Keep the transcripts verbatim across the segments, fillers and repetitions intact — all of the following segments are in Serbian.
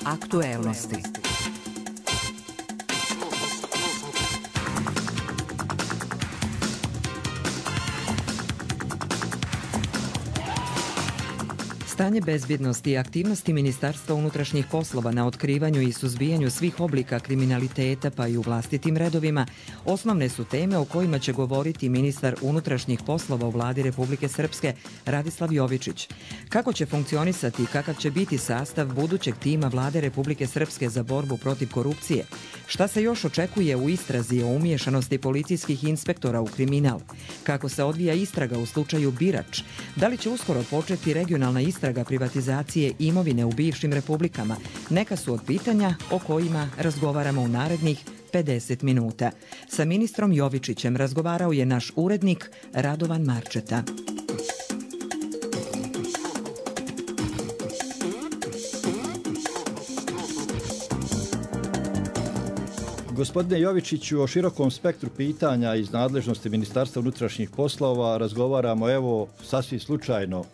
Aktuelnosti. Stanje bezbjednosti i aktivnosti Ministarstva unutrašnjih poslova na otkrivanju i suzbijanju svih oblika kriminaliteta pa i u vlastitim redovima osnovne su teme o kojima će govoriti ministar unutrašnjih poslova u vladi Republike Srpske Radislav Jovičić. Kako će funkcionisati i kakav će biti sastav budućeg tima vlade Republike Srpske za borbu protiv korupcije? Šta se još očekuje u istrazi o umiješanosti policijskih inspektora u kriminal? Kako se odvija istraga u slučaju Birač? Da li će uskoro početi regionalna istraga privatizacije imovine u bivšim republikama? Neka su od pitanja o kojima razgovaramo u narednih pedeset minuta. Sa ministrom Jovičićem razgovarao je naš urednik Radovan Marčeta. Gospodine Jovičiću, o širokom spektru pitanja iz nadležnosti Ministarstva unutrašnjih poslova razgovaramo evo sasvim slučajno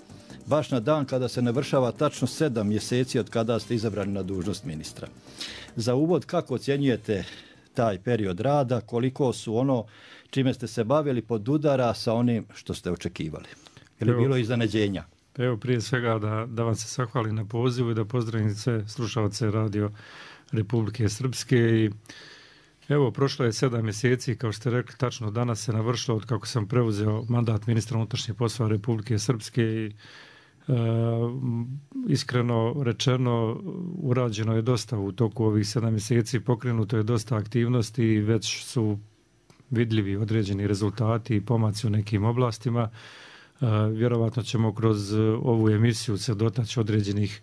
baš na dan kada se navršava tačno sedam mjeseci od kada ste izabrani na dužnost ministra. Za uvod, kako ocjenjujete taj period rada, koliko su ono čime ste se bavili podudara sa onim što ste očekivali? Je li evo, bilo iznenađenja? Evo prije svega da, da vam se zahvalim na pozivu i da pozdravim sve slušalce Radio Republike Srpske. I evo, prošlo je sedam mjeseci, kao što ste rekli, tačno danas se navršilo od kako sam preuzeo mandat ministra unutrašnjih poslova Republike Srpske i e, iskreno rečeno urađeno je dosta u toku ovih sedam mjeseci, pokrenuto je dosta aktivnosti i već su vidljivi određeni rezultati i pomaci u nekim oblastima. E, vjerovatno ćemo kroz ovu emisiju se dotaći određenih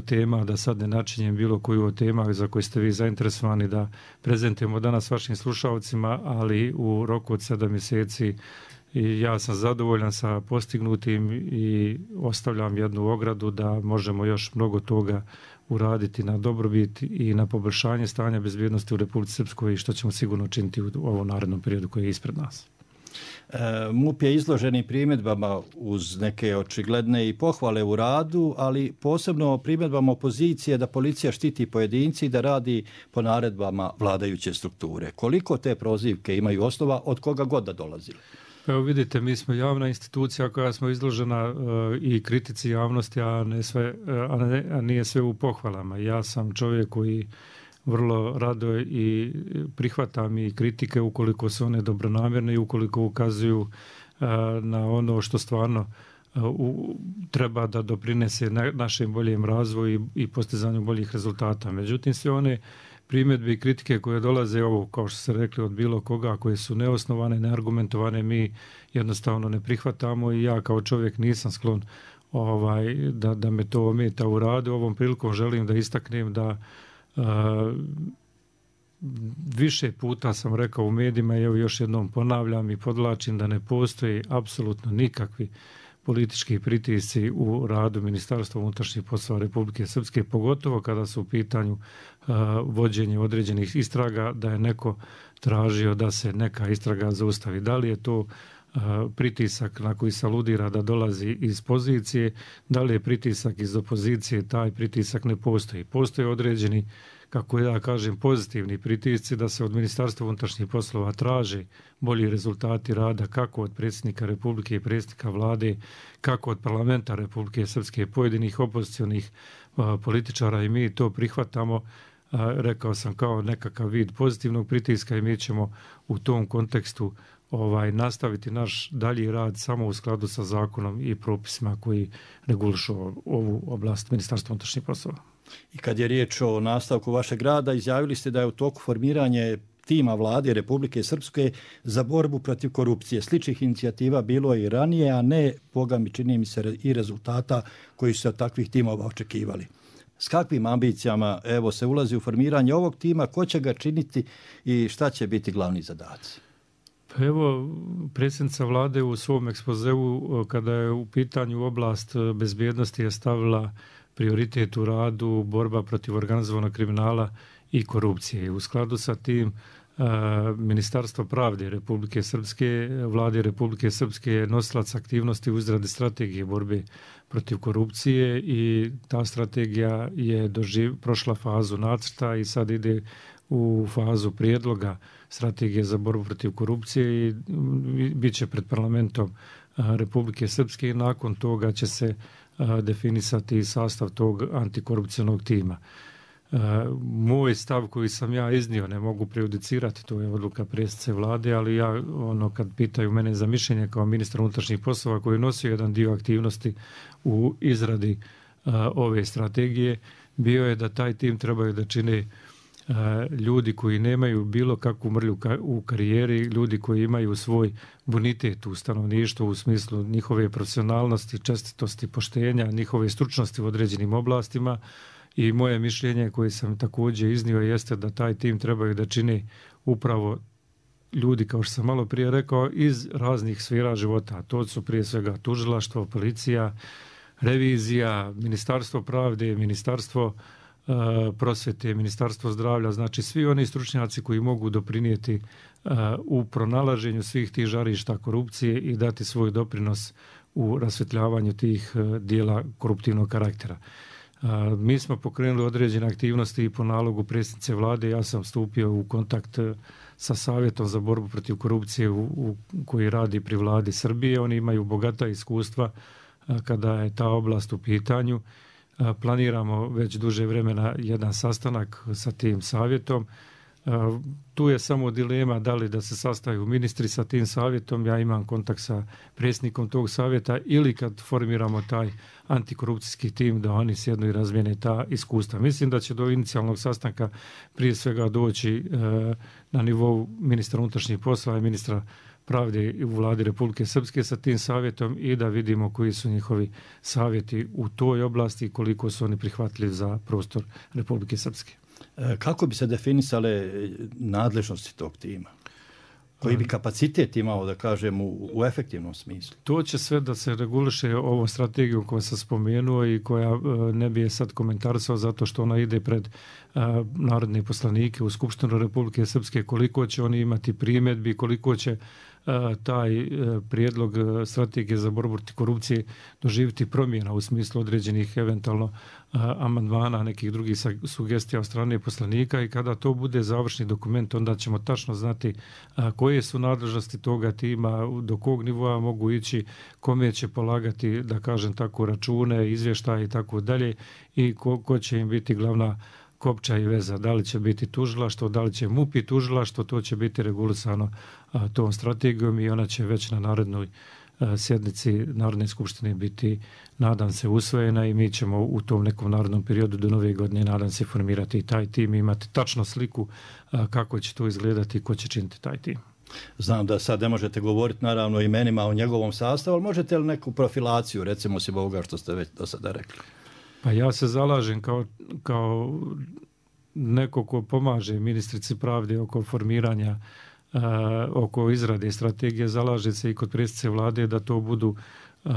tema, da sad ne načinjem bilo koju od tema za koje ste vi zainteresovani da prezentujemo danas vašim slušalcima, ali u roku od sedam mjeseci i ja sam zadovoljan sa postignutim i ostavljam jednu ogradu da možemo još mnogo toga uraditi na dobrobit i na poboljšanje stanja bezbjednosti u Republici Srpskoj i što ćemo sigurno činiti u ovom narednom periodu koji je ispred nas. MUP je izloženi primjedbama uz neke očigledne i pohvale u radu, ali posebno primjedbama opozicije da policija štiti pojedinci i da radi po naredbama vladajuće strukture. Koliko te prozivke imaju osnova, od koga god da dolazili? Evo vidite, mi smo javna institucija koja smo izložena uh, i kritici javnosti, a, ne sve, uh, a, ne, a nije sve u pohvalama. Ja sam čovjek koji vrlo rado i prihvatam i kritike ukoliko su one dobronamjerne i ukoliko ukazuju uh, na ono što stvarno uh, u, treba da doprinese na, našem boljem razvoju i, i postizanju boljih rezultata. Međutim, sve one primjedbe i kritike koje dolaze, ovo kao što ste rekli, od bilo koga, koje su neosnovane, neargumentovane, mi jednostavno ne prihvatamo i ja kao čovjek nisam sklon ovaj, da, da me to ometa u radu. Ovom prilikom želim da istaknem da Uh, više puta sam rekao u medijima i evo još jednom ponavljam i podvlačim da ne postoji apsolutno nikakvi politički pritisci u radu Ministarstva unutrašnjih poslova Republike Srpske, pogotovo kada su u pitanju uh, vođenje određenih istraga, da je neko tražio da se neka istraga zaustavi. Da li je to uh, pritisak na koji se aludira da dolazi iz pozicije, da li je pritisak iz opozicije, taj pritisak ne postoji. Postoje određeni, kako ja kažem, pozitivni pritisci da se od Ministarstva unutrašnjih poslova traže bolji rezultati rada kako od predsjednika Republike i predsjednika vlade, kako od parlamenta Republike Srpske, pojedinih opozicionih uh, političara i mi to prihvatamo. Uh, rekao sam kao nekakav vid pozitivnog pritiska i mi ćemo u tom kontekstu ovaj nastaviti naš dalji rad samo u skladu sa zakonom i propisima koji regulišu ovu oblast Ministarstva unutrašnjih poslova. I kad je riječ o nastavku vašeg rada, izjavili ste da je u toku formiranje tima vlade Republike Srpske za borbu protiv korupcije. Sličnih inicijativa bilo je i ranije, a ne, boga mi čini mi se, i rezultata koji su se od takvih timova očekivali. S kakvim ambicijama evo se ulazi u formiranje ovog tima, ko će ga činiti i šta će biti glavni zadaci? Evo, predsjednica vlade u svom ekspozeu, kada je u pitanju oblast bezbjednosti, je stavila prioritet u radu borba protiv organizovanog kriminala i korupcije. U skladu sa tim Ministarstvo pravde Republike Srpske, vlade Republike Srpske je nosilac aktivnosti u izradi strategije borbe protiv korupcije i ta strategija je doživ, prošla fazu nacrta i sad ide u fazu prijedloga strategije za borbu protiv korupcije i bit će pred parlamentom Republike Srpske i nakon toga će se definisati sastav tog antikorupcionog tima. Moj stav koji sam ja iznio, ne mogu prejudicirati, to je odluka predsjednice vlade, ali ja, ono, kad pitaju mene za mišljenje kao ministar unutrašnjih poslova koji je nosio jedan dio aktivnosti u izradi a, ove strategije, bio je da taj tim trebaju da čine a, ljudi koji nemaju bilo kakvu mrlju ka, u karijeri, ljudi koji imaju svoj bonitet u stanovništvu u smislu njihove profesionalnosti, čestitosti, poštenja, njihove stručnosti u određenim oblastima. I moje mišljenje koje sam također iznio jeste da taj tim trebaju da čini upravo ljudi, kao što sam malo prije rekao, iz raznih sfera života. To su prije svega tužilaštvo, policija, revizija, Ministarstvo pravde, Ministarstvo uh, prosvete, Ministarstvo zdravlja, znači svi oni stručnjaci koji mogu doprinijeti uh, u pronalaženju svih tih žarišta korupcije i dati svoj doprinos u rasvetljavanju tih uh, dijela koruptivnog karaktera. Mi smo pokrenuli određene aktivnosti i po nalogu predsjednice vlade. Ja sam stupio u kontakt sa Savjetom za borbu protiv korupcije u, u, koji radi pri vladi Srbije. Oni imaju bogata iskustva kada je ta oblast u pitanju. Planiramo već duže vremena jedan sastanak sa tim savjetom. Tu je samo dilema da li da se sastaju ministri sa tim savjetom. Ja imam kontakt sa predsjednikom tog savjeta ili kad formiramo taj antikorupcijski tim da oni sjednu i razmijene ta iskustva. Mislim da će do inicijalnog sastanka prije svega doći e, na nivou ministra unutrašnjih poslova i ministra pravde u vladi Republike Srpske sa tim savjetom i da vidimo koji su njihovi savjeti u toj oblasti i koliko su oni prihvatljivi za prostor Republike Srpske. Kako bi se definisale nadležnosti tog tima? Koji bi kapacitet imao, da kažem, u, u efektivnom smislu? To će sve da se reguliše ovom strategijom koju sam spomenuo i koja ne bi je sad komentarisao zato što ona ide pred a, narodne poslanike u Skupštinu Republike Srpske, koliko će oni imati primjedbi, koliko će a, taj a, prijedlog strategije za borbu protiv korupcije doživjeti promjena u smislu određenih eventualno a, amandmana, nekih drugih sugestija od strane poslanika i kada to bude završni dokument, onda ćemo tačno znati a, koje su nadležnosti toga tima, do kog nivoa mogu ići, kome će polagati, da kažem tako, račune, izvještaje i tako dalje i ko, ko će im biti glavna kopča i veza. Da li će biti tužilaštvo, da li će M U P i tužilaštvo, to će biti regulisano a, tom strategijom i ona će već na narednoj a, sjednici Narodne skupštine biti, nadam se, usvojena i mi ćemo u tom nekom narodnom periodu do nove godine, nadam se, formirati taj tim i imati tačno sliku a, kako će to izgledati i ko će činiti taj tim. Znam da sad ne možete govoriti naravno imenima o njegovom sastavu, ali možete li neku profilaciju, recimo si ovoga što ste već do sada rekli? Pa ja se zalažem kao, kao neko ko pomaže ministrici pravde oko formiranja, uh, oko izrade strategije, zalaže se i kod predsjednice vlade da to budu uh,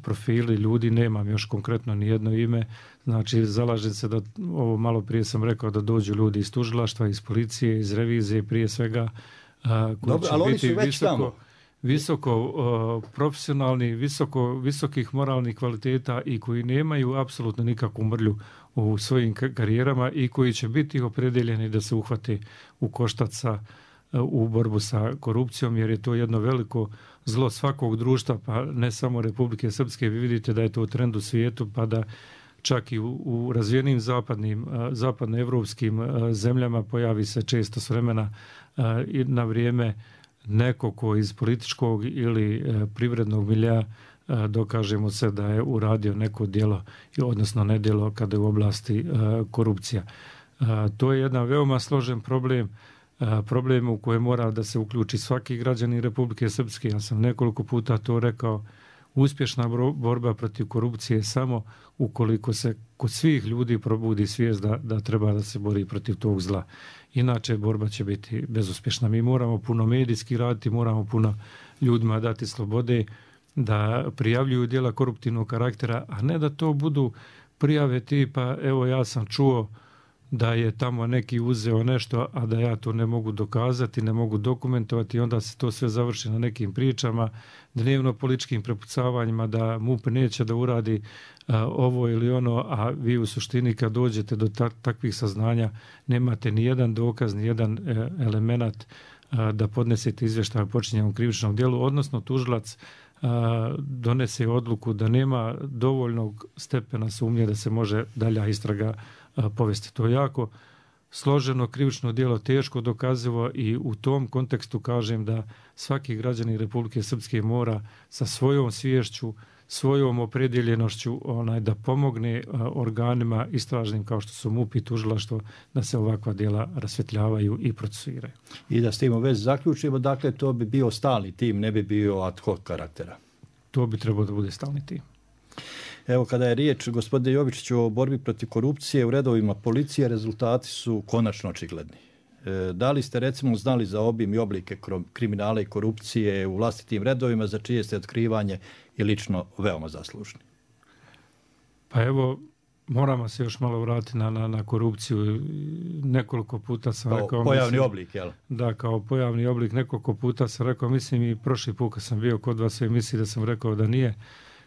profili ljudi, nemam još konkretno ni jedno ime, znači zalažem se da, ovo malo prije sam rekao, da dođu ljudi iz tužilaštva, iz policije, iz revizije, prije svega, uh, koji Dobro, će ali biti oni su već visoko... tamo. visoko uh, profesionalni, visoko, visokih moralnih kvaliteta i koji nemaju apsolutno nikakvu mrlju u svojim karijerama i koji će biti opredeljeni da se uhvate u koštac sa, uh, u borbu sa korupcijom, jer je to jedno veliko zlo svakog društva, pa ne samo Republike Srpske. Vi vidite da je to trend u svijetu, pa da čak i u, u razvijenim zapadnim, uh, zapadnoevropskim uh, zemljama pojavi se često s vremena uh, i na vrijeme neko ko iz političkog ili e, privrednog milja e, dokažemo se da je uradio neko djelo, odnosno nedjelo kada je u oblasti e, korupcija. E, to je jedan veoma složen problem, e, problem u kojem mora da se uključi svaki građanin Republike Srpske. Ja sam nekoliko puta to rekao, uspješna borba protiv korupcije je samo ukoliko se kod svih ljudi probudi svijest da, da treba da se bori protiv tog zla. Inače, borba će biti bezuspješna. Mi moramo puno medijski raditi, moramo puno ljudima dati slobode da prijavljuju djela koruptivnog karaktera, a ne da to budu prijave tipa, evo ja sam čuo da je tamo neki uzeo nešto, a da ja to ne mogu dokazati, ne mogu dokumentovati, onda se to sve završi na nekim pričama, dnevno političkim prepucavanjima da MUP neće da uradi a, ovo ili ono, a vi u suštini kad dođete do ta, takvih saznanja nemate ni jedan dokaz, ni jedan e, element a, da podnesete izvještaj o počinjenom krivičnom djelu, odnosno tužilac a, donese odluku da nema dovoljnog stepena sumnje da se može dalja istraga a, povesti. To je jako složeno krivično djelo, teško dokazivo i u tom kontekstu kažem da svaki građanin Republike Srpske mora sa svojom sviješću, svojom opredjeljenošću onaj, da pomogne a, organima istražnim kao što su MUP i tužilaštvo da se ovakva djela rasvetljavaju i procesuiraju. I da s tim u vezi zaključimo, dakle to bi bio stalni tim, ne bi bio ad hoc karaktera. To bi trebalo da bude stalni tim. Evo, kada je riječ, gospodine Jovičiću, o borbi protiv korupcije u redovima policije, rezultati su konačno očigledni. E, da li ste recimo znali za obim i oblike kriminala i korupcije u vlastitim redovima, za čije ste otkrivanje i lično veoma zaslužni? Pa evo, moramo se još malo vratiti na, na, na korupciju. Nekoliko puta sam kao rekao... pojavni mislim, oblik, jel? Da, kao pojavni oblik. Nekoliko puta sam rekao, mislim i prošli put kad sam bio kod vas u emisiji da sam rekao da nije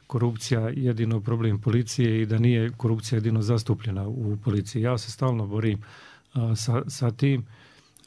korupcija jedino problem policije i da nije korupcija jedino zastupljena u policiji. Ja se stalno borim a, sa, sa tim,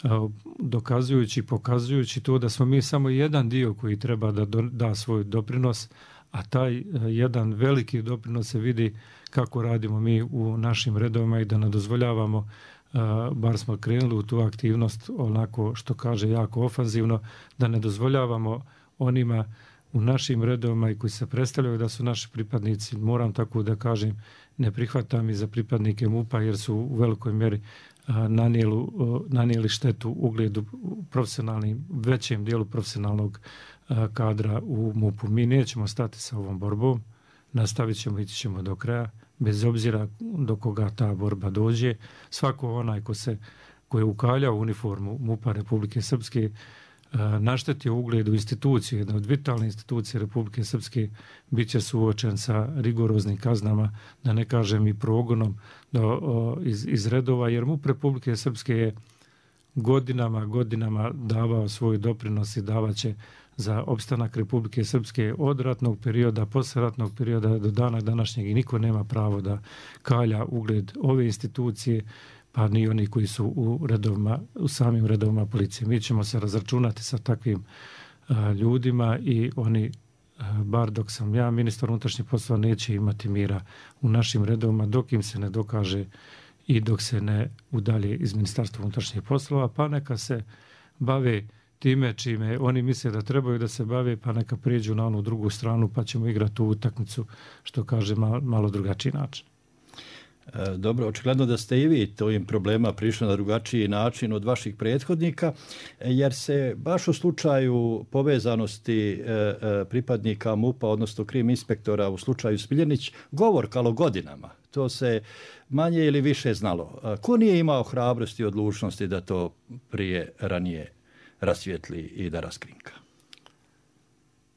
a, dokazujući, pokazujući to da smo mi samo jedan dio koji treba da do, da svoj doprinos, a taj a, jedan veliki doprinos se vidi kako radimo mi u našim redovima i da ne dozvoljavamo, a, bar smo krenuli u tu aktivnost onako što kaže jako ofanzivno, da ne dozvoljavamo onima u našim redovima i koji se predstavljaju da su naši pripadnici, moram tako da kažem, ne prihvatam i za pripadnike MUP-a jer su u velikoj mjeri a, nanijeli, a, nanijeli štetu ugledu profesionalnim, većem dijelu profesionalnog a, kadra u MUP-u. Mi nećemo stati sa ovom borbom, nastavit ćemo, ići ćemo do kraja, bez obzira do koga ta borba dođe. Svako onaj ko se, ko je ukaljao uniformu MUP-a Republike Srpske, naštetio ugledu institucije, jedna od vitalne institucije Republike Srpske, bit će suočen sa rigoroznim kaznama, da ne kažem i progonom do, o, iz, iz redova, jer MUP Republike Srpske je godinama, godinama davao svoj doprinos i davaće za opstanak Republike Srpske od ratnog perioda, posleratnog perioda do dana današnjeg i niko nema pravo da kalja ugled ove institucije, pa ni oni koji su u redovima, u samim redovima policije. Mi ćemo se razračunati sa takvim a, ljudima i oni, a, bar dok sam ja ministar unutrašnjih poslova, neće imati mira u našim redovima dok im se ne dokaže i dok se ne udalje iz Ministarstva unutrašnjih poslova, pa neka se bave time čime oni misle da trebaju da se bave, pa neka prijeđu na onu drugu stranu, pa ćemo igrati tu utakmicu, što kaže malo, malo drugačiji način. Dobro, očigledno da ste i vi tovim problema prišli na drugačiji način od vaših prethodnika, jer se baš u slučaju povezanosti pripadnika MUP-a, odnosno krim inspektora u slučaju Smiljanić, govorkalo godinama. To se manje ili više znalo. Ko nije imao hrabrosti i odlučnosti da to prije ranije rasvijetli i da raskrinka?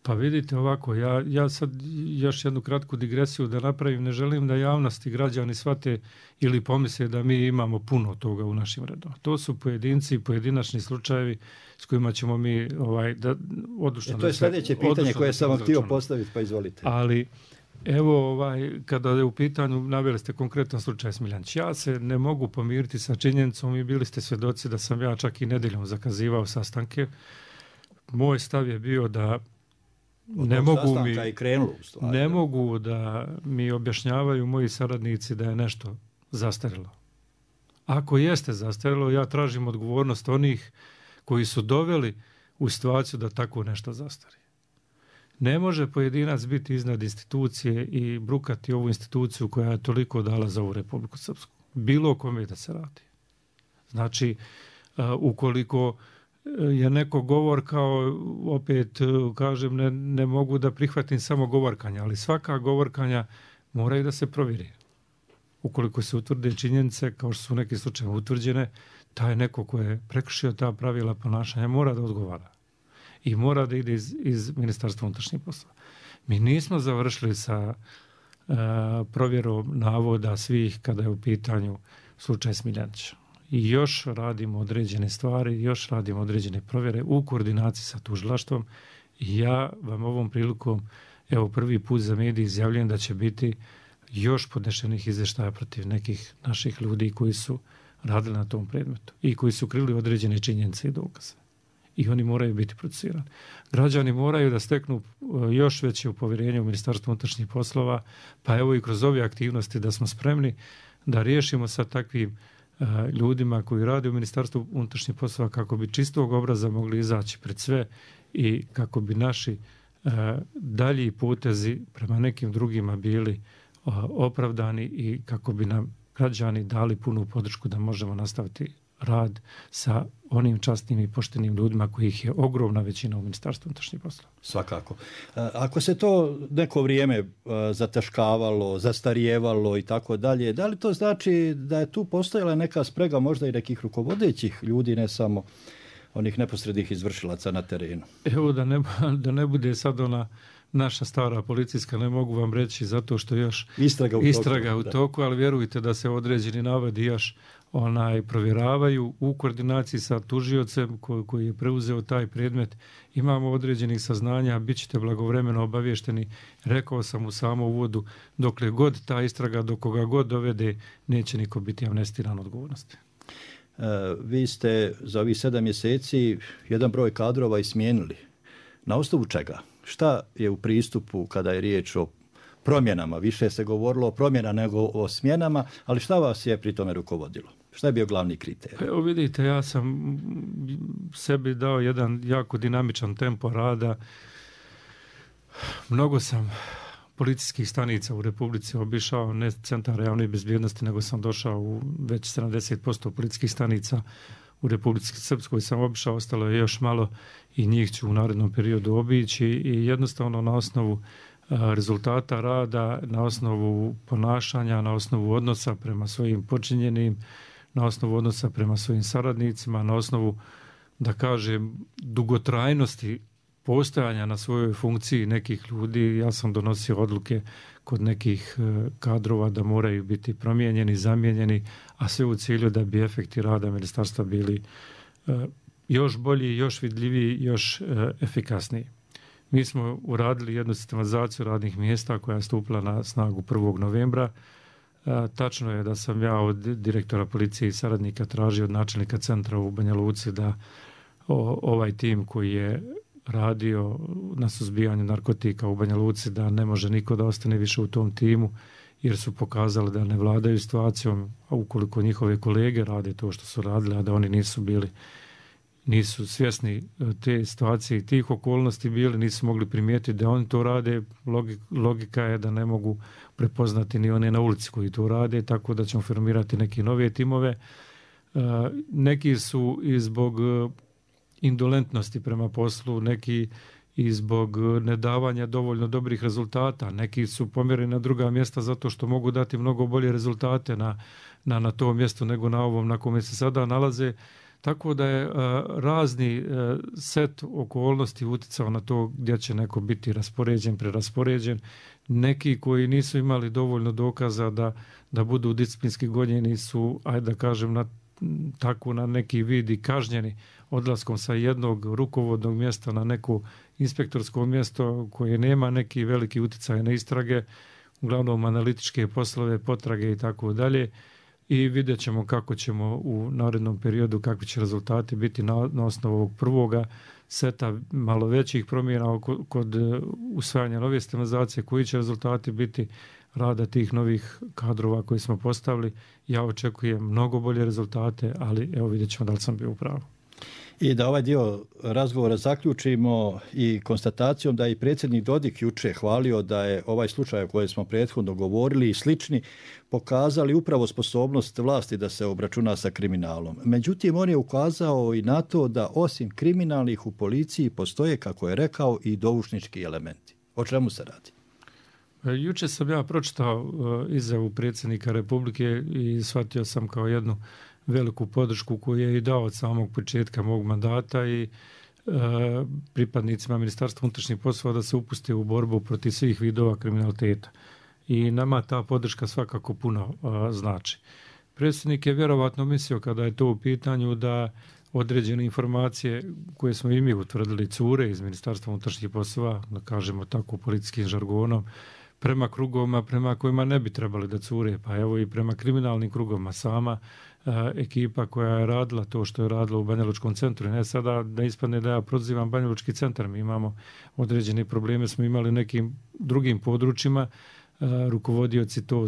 Pa vidite ovako, ja, ja sad još jednu kratku digresiju da napravim, ne želim da javnosti građani shvate ili pomisle da mi imamo puno toga u našim redovima. To su pojedinci i pojedinačni slučajevi s kojima ćemo mi ovaj, da, odlučno... E, to je sljedeće pitanje koje sam vam htio postaviti, pa izvolite. Ali evo, ovaj, kada je u pitanju, naveli ste konkretan slučaj Smiljanić. Ja se ne mogu pomiriti sa činjenicom i bili ste svjedoci da sam ja čak i nedeljom zakazivao sastanke. Moj stav je bio da Ne mogu, mi, krenulo, stvari, ne mogu da mi objašnjavaju moji saradnici da je nešto zastarilo. Ako jeste zastarilo, ja tražim odgovornost onih koji su doveli u situaciju da tako nešto zastari. Ne može pojedinac biti iznad institucije i brukati ovu instituciju koja je toliko dala za ovu Republiku Srpsku. Bilo kome da se radi. Znači, uh, ukoliko je neko govor kao, opet kažem, ne, ne mogu da prihvatim samo govorkanja, ali svaka govorkanja moraju da se provjeri. Ukoliko se utvrde činjenice, kao što su neki slučajevi utvrđene, taj neko ko je prekršio ta pravila ponašanja mora da odgovara. I mora da ide iz, iz Ministarstva unutrašnjih poslova. Mi nismo završili sa uh, provjerom navoda svih kada je u pitanju slučaj Smiljanića. I još radimo određene stvari, još radimo određene provjere u koordinaciji sa tužilaštvom. I ja vam ovom prilikom, evo prvi put za medije izjavljujem da će biti još podnešenih izvještaja protiv nekih naših ljudi koji su radili na tom predmetu i koji su krili određene činjenice i dokaze. I oni moraju biti procesuirani. Građani moraju da steknu još veće povjerenje u Ministarstvu unutrašnjih poslova, pa evo i kroz ove aktivnosti da smo spremni da riješimo sa takvim uh, ljudima koji rade u Ministarstvu unutrašnjih poslova kako bi čistog obraza mogli izaći pred sve i kako bi naši uh, dalji potezi prema nekim drugima bili uh, opravdani i kako bi nam građani dali punu podršku da možemo nastaviti rad sa onim časnim i poštenim ljudima kojih je ogromna većina u Ministarstvu unutrašnjih poslova. Svakako. Ako se to neko vrijeme zataškavalo, zastarijevalo i tako dalje, da li to znači da je tu postojala neka sprega možda i nekih rukovodećih ljudi, ne samo onih neposrednih izvršilaca na terenu? Evo da ne, da ne bude sad ona naša stara policijska, ne mogu vam reći zato što još istraga u istraga toku, u toku ali vjerujte da se određeni navodi još onaj provjeravaju u koordinaciji sa tužiocem koji, koji je preuzeo taj predmet. Imamo određenih saznanja, bit ćete blagovremeno obavješteni. Rekao sam u samom uvodu, dokle god ta istraga, do koga god dovede, neće niko biti amnestiran odgovornosti. E, vi ste za ovih sedam mjeseci jedan broj kadrova i smijenili. Na osnovu čega? Šta je u pristupu kada je riječ o promjenama? Više se govorilo o promjenama nego o smjenama, ali šta vas je pri tome rukovodilo? Šta je bio glavni kriterij? Evo vidite, ja sam sebi dao jedan jako dinamičan tempo rada. Mnogo sam policijskih stanica u Republici obišao, ne centara javne bezbjednosti, nego sam došao u već sedamdeset posto policijskih stanica u Republici Srpskoj sam obišao, ostalo je još malo i njih ću u narednom periodu obići i jednostavno na osnovu rezultata rada, na osnovu ponašanja, na osnovu odnosa prema svojim počinjenim, na osnovu odnosa prema svojim saradnicima, na osnovu, da kažem, dugotrajnosti postojanja na svojoj funkciji nekih ljudi, ja sam donosio odluke kod nekih kadrova da moraju biti promijenjeni, zamijenjeni, a sve u cilju da bi efekti rada ministarstva bili još bolji, još vidljiviji, još efikasniji. Mi smo uradili jednu sistematizaciju radnih mjesta koja je stupila na snagu prvog novembra. Tačno je da sam ja od direktora policije i saradnika tražio od načelnika centra u Banja Luci da ovaj tim koji je radio na suzbijanju narkotika u Banja Luci da ne može niko da ostane više u tom timu jer su pokazali da ne vladaju situacijom, a ukoliko njihove kolege rade to što su radili, a da oni nisu bili nisu svjesni te situacije i tih okolnosti bili, nisu mogli primijetiti da oni to rade. Logika je da ne mogu prepoznati ni one na ulici koji to rade, tako da ćemo formirati neke nove timove. Neki su i zbog indolentnosti prema poslu, neki i zbog nedavanja dovoljno dobrih rezultata, neki su pomjereni na druga mjesta zato što mogu dati mnogo bolje rezultate na, na, na tom mjestu nego na ovom na kome se sada nalaze. Tako da je a, razni a, set okolnosti utjecao na to gdje će neko biti raspoređen, preraspoređen. Neki koji nisu imali dovoljno dokaza da, da budu disciplinski gonjeni su, ajde da kažem, na, tako na neki vid i kažnjeni odlaskom sa jednog rukovodnog mjesta na neko inspektorsko mjesto koje nema neki veliki utjecaj na istrage, uglavnom analitičke poslove, potrage i tako dalje. I vidjet ćemo kako ćemo u narednom periodu, kakvi će rezultati biti na, na osnovu ovog prvoga seta malo većih promjena kod, kod usvajanja nove sistematizacije, koji će rezultati biti rada tih novih kadrova koji smo postavili. Ja očekujem mnogo bolje rezultate, ali evo vidjet ćemo da li sam bio u pravu. I da ovaj dio razgovora zaključimo i konstatacijom da je i predsjednik Dodik juče hvalio da je ovaj slučaj o kojem smo prethodno govorili i slični pokazali upravo sposobnost vlasti da se obračuna sa kriminalom. Međutim, on je ukazao i na to da osim kriminalnih u policiji postoje, kako je rekao, i doušnički elementi. O čemu se radi? Juče sam ja pročitao izjavu predsjednika Republike i shvatio sam kao jednu veliku podršku koju je i dao od samog početka mog mandata i e, pripadnicima Ministarstva unutrašnjih poslova da se upuste u borbu protiv svih vidova kriminaliteta. I nama ta podrška svakako puno e, znači. Predsjednik je vjerovatno mislio kada je to u pitanju da određene informacije koje smo i mi utvrdili cure iz Ministarstva unutrašnjih poslova, da kažemo tako policijskim žargonom, prema krugovima prema kojima ne bi trebali da cure, pa evo i prema kriminalnim krugovima sama a, ekipa koja je radila to što je radila u Banjalučkom centru. Ne sada da ispadne da ja prozivam Banjalučki centar, mi imamo određene probleme, smo imali u nekim drugim područjima, a, rukovodioci to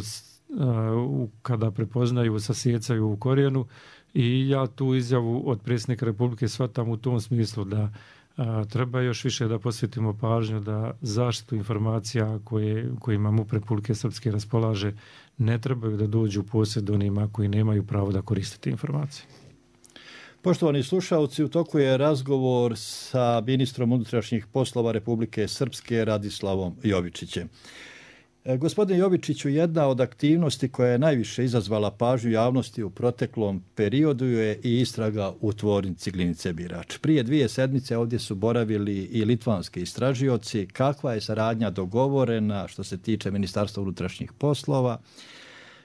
a, kada prepoznaju, sasjecaju u korijenu i ja tu izjavu od predsjednika Republike shvatam u tom smislu da a, treba još više da posvetimo pažnju da zaštitu informacija koje, kojima M U P Republike Srpske raspolaže ne trebaju da dođu u posjed onima koji nemaju pravo da koriste informacije. Poštovani slušalci, u toku je razgovor sa ministrom unutrašnjih poslova Republike Srpske Radislavom Jovičićem. Gospodine Jovičiću, jedna od aktivnosti koja je najviše izazvala pažnju javnosti u proteklom periodu je i istraga u tvornici Glinice Birač. Prije dvije sedmice ovdje su boravili i litvanski istražioci. Kakva je saradnja dogovorena što se tiče Ministarstva unutrašnjih poslova?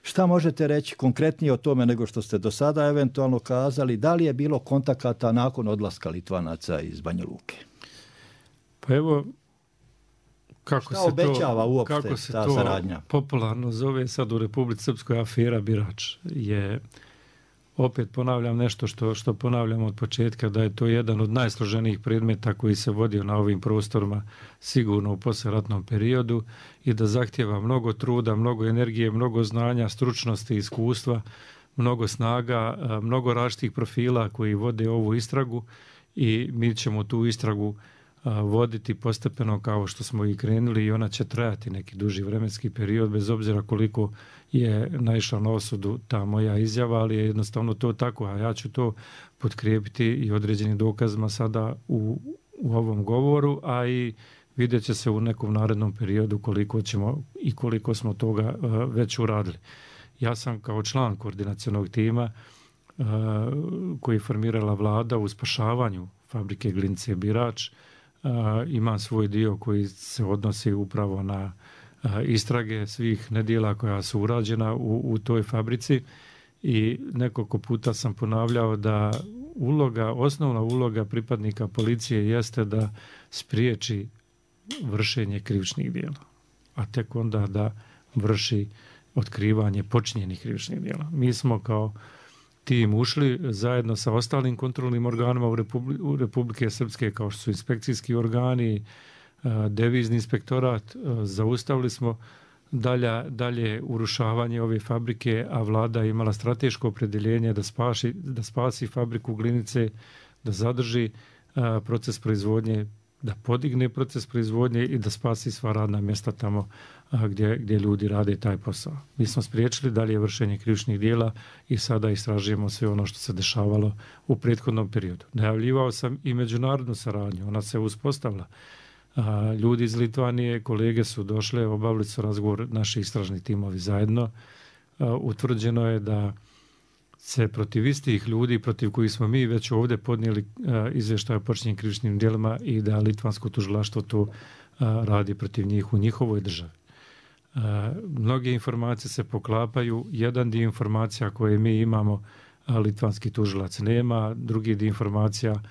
Šta možete reći konkretnije o tome nego što ste do sada eventualno kazali? Da li je bilo kontakata nakon odlaska Litvanaca iz Banja Luke? Pa evo, kako šta se obećava to, uopšte kako se ta to saradnja? Popularno zove sad u Republici Srpskoj afera Birač je, opet ponavljam nešto što, što ponavljam od početka, da je to jedan od najsloženijih predmeta koji se vodio na ovim prostorima sigurno u posleratnom periodu i da zahtjeva mnogo truda, mnogo energije, mnogo znanja, stručnosti, iskustva, mnogo snaga, mnogo različitih profila koji vode ovu istragu i mi ćemo tu istragu voditi postepeno kao što smo i krenuli i ona će trajati neki duži vremenski period bez obzira koliko je naišla na osudu ta moja izjava, ali je jednostavno to tako, a ja ću to potkrijepiti i određenim dokazima sada u, u ovom govoru, a i vidjet će se u nekom narednom periodu koliko ćemo i koliko smo toga uh, već uradili. Ja sam kao član koordinacionog tima uh, koji je formirala vlada u spašavanju fabrike Glinice Birač. Uh, imam svoj dio koji se odnosi upravo na uh, istrage svih nedjela koja su urađena u, u toj fabrici i nekoliko puta sam ponavljao da uloga, osnovna uloga pripadnika policije jeste da spriječi vršenje krivičnih djela, a tek onda da vrši otkrivanje počinjenih krivičnih djela. Mi smo kao tim ušli zajedno sa ostalim kontrolnim organima u, Republi- u Republike Srpske kao što su inspekcijski organi, devizni inspektorat, zaustavili smo dalje, dalje urušavanje ove fabrike, a vlada je imala strateško opredjeljenje da, spaši, da spasi fabriku Glinice, da zadrži a, proces proizvodnje, da podigne proces proizvodnje i da spasi sva radna mjesta tamo a, gdje, gdje ljudi rade taj posao. Mi smo spriječili dalje vršenje krivičnih dijela i sada istražujemo sve ono što se dešavalo u prethodnom periodu. Najavljivao sam i međunarodnu saradnju, ona se uspostavila. A, ljudi iz Litvanije, kolege su došle, obavili su razgovor naši istražni timovi zajedno. A, utvrđeno je da se protiv istih ljudi, protiv kojih smo mi već ovdje podnijeli a, izvještaj o počinjenim krivičnim djelima i da litvansko tužilaštvo to a, radi protiv njih u njihovoj državi. A, mnoge informacije se poklapaju. Jedan dio informacija koje mi imamo, a, litvanski tužilac nema, drugi dio informacija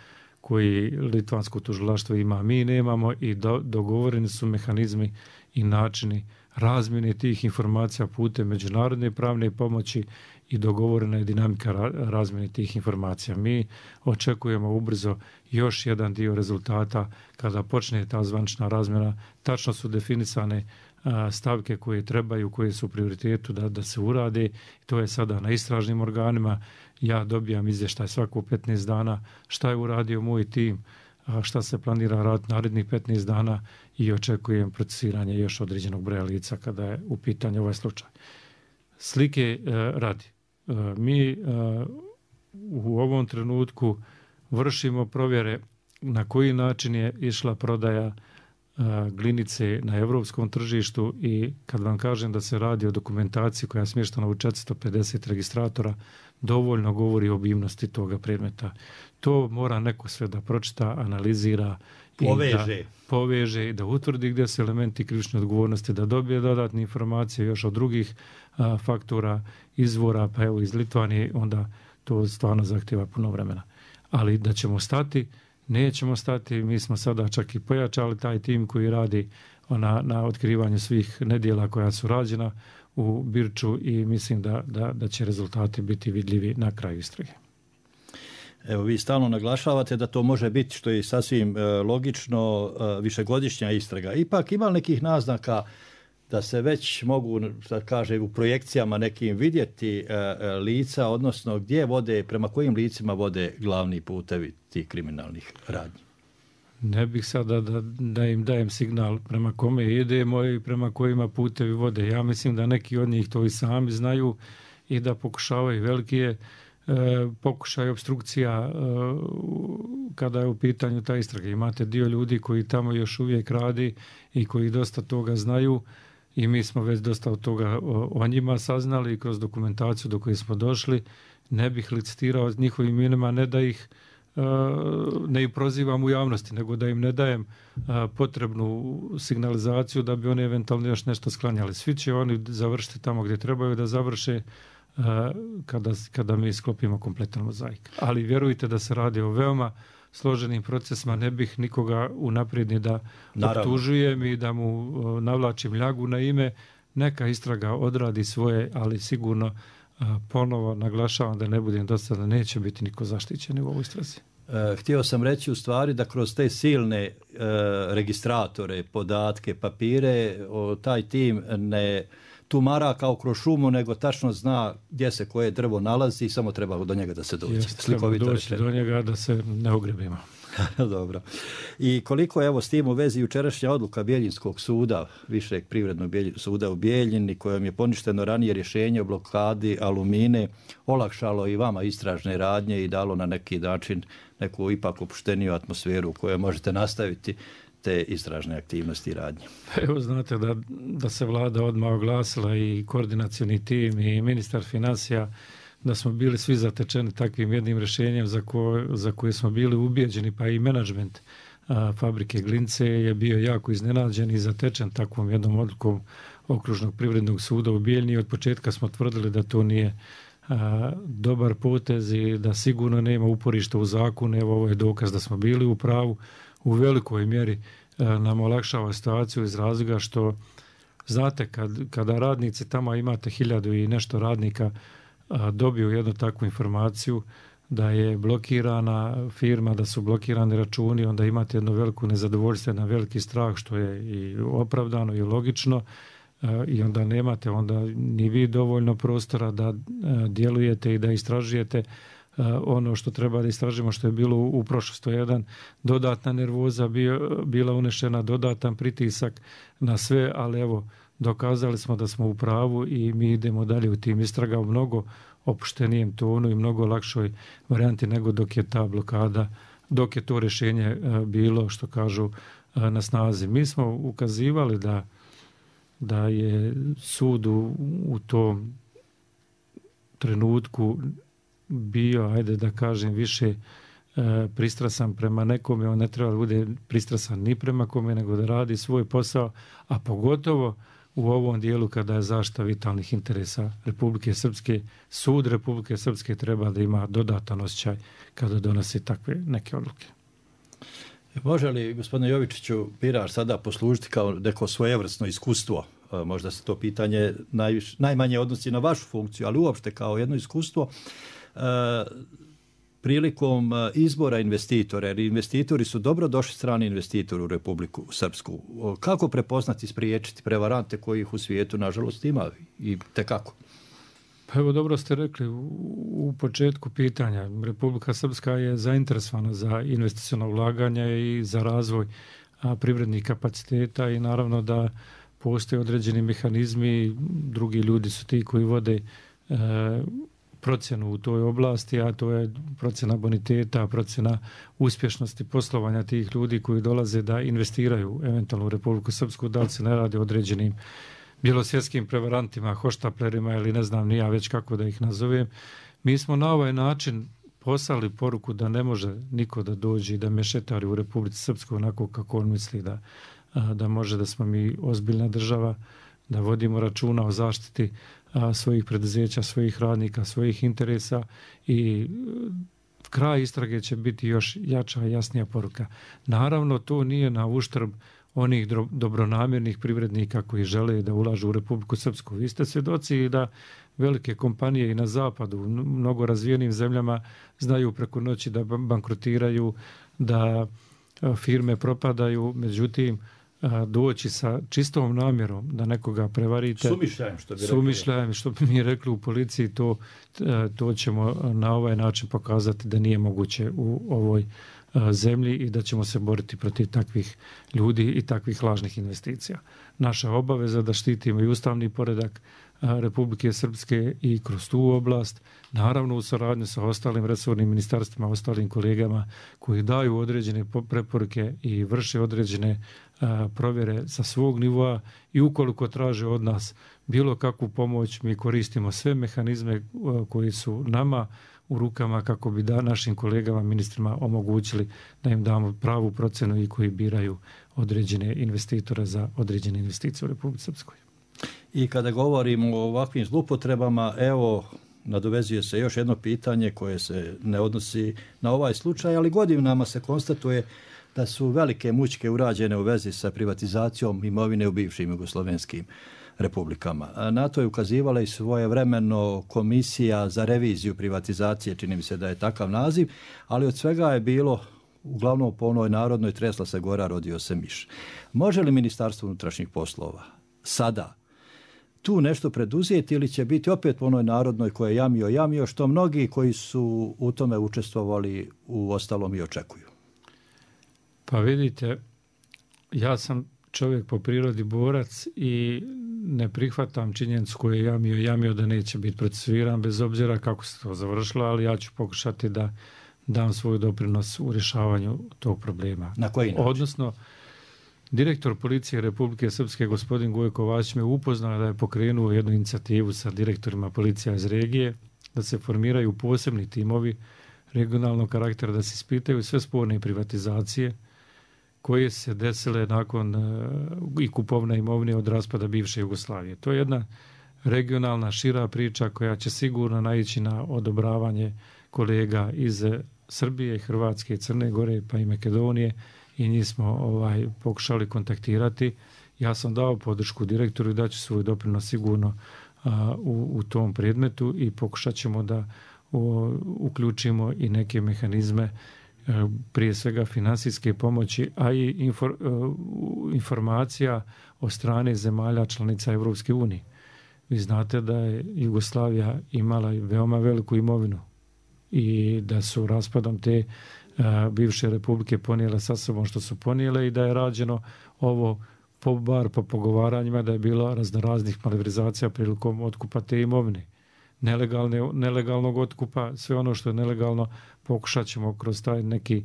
koji litvansko tužilaštvo ima, mi nemamo i do, dogovoreni su mehanizmi i načini razmjene tih informacija putem međunarodne pravne pomoći i dogovorena je dinamika razmjene tih informacija. Mi očekujemo ubrzo još jedan dio rezultata kada počne ta zvanična razmjena. Tačno su definisane a, stavke koje trebaju, koje su u prioritetu da, da se urade. To je sada na istražnim organima. Ja dobijam izvještaj svako petnaest dana šta je uradio moj tim, a šta se planira raditi narednih petnaest dana i očekujem procesiranje još određenog broja lica kada je u pitanju ovaj slučaj. Slike e, radi. E, mi e, u ovom trenutku vršimo provjere na koji način je išla prodaja glinice na europskom tržištu i kad vam kažem da se radi o dokumentaciji koja je smještena u četiristo pedeset registratora, dovoljno govori o obimnosti toga predmeta. To mora neko sve da pročita, analizira, poveže. I da poveže i da utvrdi gdje su elementi krivične odgovornosti, da dobije dodatne informacije još od drugih a, faktora, izvora, pa evo iz Litvanije, onda to stvarno zahtjeva puno vremena. Ali da ćemo stati, nećemo stati, mi smo sada čak i pojačali taj tim koji radi na, na otkrivanju svih nedjela koja su rađena u Birču i mislim da, da, da će rezultati biti vidljivi na kraju istrage. Evo, vi stalno naglašavate da to može biti, što je sasvim e, logično, e, višegodišnja istraga. Ipak ima nekih naznaka da se već mogu, da kaže, u projekcijama nekim vidjeti e, e, lica, odnosno gdje vode, prema kojim licima vode glavni putevi tih kriminalnih radnji? Ne bih sada da, da im dajem signal prema kome idemo i prema kojima putevi vode. Ja mislim da neki od njih to i sami znaju i da pokušavaju veliki je E, pokušaj obstrukcija e, kada je u pitanju ta istraga. Imate dio ljudi koji tamo još uvijek radi i koji dosta toga znaju i mi smo već dosta od toga o, o njima saznali i kroz dokumentaciju do koje smo došli. Ne bih licitirao s njihovim imenima, ne da ih e, ne ih prozivam u javnosti, nego da im ne dajem e, potrebnu signalizaciju da bi oni eventualno još nešto sklanjali. Svi će oni završiti tamo gdje trebaju da završe kada, kada mi sklopimo kompletan mozaik. Ali vjerujte da se radi o veoma složenim procesima, ne bih nikoga unaprijed ni da optužujem i da mu navlačim ljagu na ime. Neka istraga odradi svoje, ali sigurno ponovo naglašavam da ne budem dosta, da neće biti niko zaštićen u ovoj istrazi. Htio sam reći u stvari da kroz te silne e, registratore, podatke, papire, o, taj tim ne tumara kao kroz šumu, nego tačno zna gdje se koje drvo nalazi i samo treba do njega da se dođe. Jeste, treba doći do njega da se ne ogrebimo. Dobro. I koliko evo s tim u vezi jučerašnja odluka Bijeljinskog suda, Višeg privrednog suda u Bijeljini, kojom je poništeno ranije rješenje o blokadi Alumine, olakšalo i vama istražne radnje i dalo na neki način neku ipak opušteniju atmosferu u kojoj možete nastaviti te istražne aktivnosti i radnje. Evo znate da, da se vlada odmah oglasila i koordinacioni tim i ministar financija, da smo bili svi zatečeni takvim jednim rješenjem za, ko, za koje smo bili ubijeđeni, pa i menadžment a, fabrike Glince je bio jako iznenađen i zatečen takvom jednom odlukom Okružnog privrednog suda u Bijeljni. Od početka smo tvrdili da to nije a, dobar potez i da sigurno nema uporišta u zakonu. Evo, ovo je dokaz da smo bili u pravu. U velikoj mjeri a, nam olakšava situaciju iz razloga što, znate, kad, kada radnici, tamo imate hiljadu i nešto radnika, a, dobiju jednu takvu informaciju da je blokirana firma, da su blokirani računi, onda imate jedno veliko nezadovoljstvo, jedan veliki strah, što je i opravdano i logično, a, i onda nemate onda ni vi dovoljno prostora da a, djelujete i da istražujete a, ono što treba da istražimo, što je bilo u, u prošlosti. Jedan dodatna nervoza bio, bila unešena, dodatan pritisak na sve, ali evo, dokazali smo da smo u pravu i mi idemo dalje u tim istraga u mnogo opuštenijem tonu i mnogo lakšoj varijanti nego dok je ta blokada, dok je to rješenje bilo, što kažu, na snazi. Mi smo ukazivali da, da je sud u, u tom trenutku bio, ajde da kažem, više pristrasan prema nekome. On ne treba da bude pristrasan ni prema kome, nego da radi svoj posao, a pogotovo u ovom dijelu kada je zaštita vitalnih interesa Republike Srpske. Sud Republike Srpske treba da ima dodatan osjećaj kada donosi takve neke odluke. Može li, gospodine Jovičiću, birač sada poslužiti kao neko svojevrsno iskustvo? Možda se to pitanje najviš, najmanje odnosi na vašu funkciju, ali uopšte kao jedno iskustvo prilikom izbora investitora, jer investitori su dobro došli strani investitori u Republiku Srpsku. Kako prepoznati i spriječiti prevarante kojih u svijetu, nažalost, ima i tekako? Pa evo, dobro ste rekli u, u početku pitanja. Republika Srpska je zainteresovana za investiciono ulaganje i za razvoj a, privrednih kapaciteta i naravno da postoje određeni mehanizmi, drugi ljudi su ti koji vode e, procjenu u toj oblasti, a to je procjena boniteta, procjena uspješnosti poslovanja tih ljudi koji dolaze da investiraju eventualno u Republiku Srpsku, da li se ne radi o određenim bjelosvjetskim prevarantima, hoštaplerima ili ne znam ni ja već kako da ih nazovem. Mi smo na ovaj način poslali poruku da ne može niko da dođe i da mešetari u Republici Srpskoj onako kako on misli da, da može, da smo mi ozbiljna država, da vodimo računa o zaštiti svojih preduzeća, svojih radnika, svojih interesa i kraj istrage će biti još jača i jasnija poruka. Naravno, to nije na uštrb onih dobronamjernih privrednika koji žele da ulažu u Republiku Srpsku. Vi ste svjedoci da velike kompanije i na zapadu, u mnogo razvijenim zemljama, znaju preko noći da bankrotiraju, da firme propadaju, međutim, doći sa čistom namjerom da nekoga prevarite. Sumišljajem, što bi rekli. Sumišljajem, što bi mi rekli u policiji, to, to ćemo na ovaj način pokazati da nije moguće u ovoj zemlji i da ćemo se boriti protiv takvih ljudi i takvih lažnih investicija. Naša obaveza da štitimo i ustavni poredak Republike Srpske i kroz tu oblast, naravno u saradnju sa ostalim resornim ministarstvima, ostalim kolegama koji daju određene preporuke i vrše određene a, provjere sa svog nivoa i ukoliko traže od nas bilo kakvu pomoć, mi koristimo sve mehanizme a, koji su nama u rukama kako bi da našim kolegama, ministrima omogućili da im damo pravu procenu i koji biraju određene investitore za određene investicije u Republici Srpskoj. I kada govorimo o ovakvim zlupotrebama, evo, nadovezuje se još jedno pitanje koje se ne odnosi na ovaj slučaj, ali godinama se konstatuje da su velike mučke urađene u vezi sa privatizacijom imovine u bivšim jugoslovenskim republikama. Na to je ukazivala i svojevremeno komisija za reviziju privatizacije, čini mi se da je takav naziv, ali od svega je bilo, uglavnom po onoj narodnoj, tresla se gora, rodio se miš. Može li Ministarstvo unutrašnjih poslova sada tu nešto preduzeti ili će biti opet po onoj narodnoj koje je jamio, jamio, što mnogi koji su u tome učestvovali u ostalom i očekuju? Pa vidite, ja sam čovjek po prirodi borac i ne prihvatam činjenicu koju je jamio, jamio da neće biti procesuiran bez obzira kako se to završilo, ali ja ću pokušati da dam svoj doprinos u rješavanju tog problema. Na koji način? Odnosno, direktor policije Republike Srpske, gospodin Gojko Vasić, me upoznao da je pokrenuo jednu inicijativu sa direktorima policija iz regije, da se formiraju posebni timovi regionalnog karaktera, da se ispitaju sve sporne privatizacije koje se desile nakon uh, i kupovne imovine od raspada bivše Jugoslavije. To je jedna regionalna, šira priča koja će sigurno naići na odobravanje kolega iz Srbije, Hrvatske, Crne Gore pa i Makedonije i njih smo ovaj, pokušali kontaktirati. Ja sam dao podršku direktoru i daću svoj doprinos sigurno a, u, u tom predmetu i pokušat ćemo da o, uključimo i neke mehanizme, a, prije svega finansijske pomoći, a i infor, a, informacija o strane zemalja članica Evropske unije. Vi znate da je Jugoslavija imala veoma veliku imovinu i da su raspadom te a, bivše republike ponijele sa sobom što su ponijele i da je rađeno ovo po bar po pogovaranjima da je bilo raznoraznih malverzacija prilikom otkupa te imovine. Nelegalne, nelegalnog otkupa, sve ono što je nelegalno pokušat ćemo kroz taj neki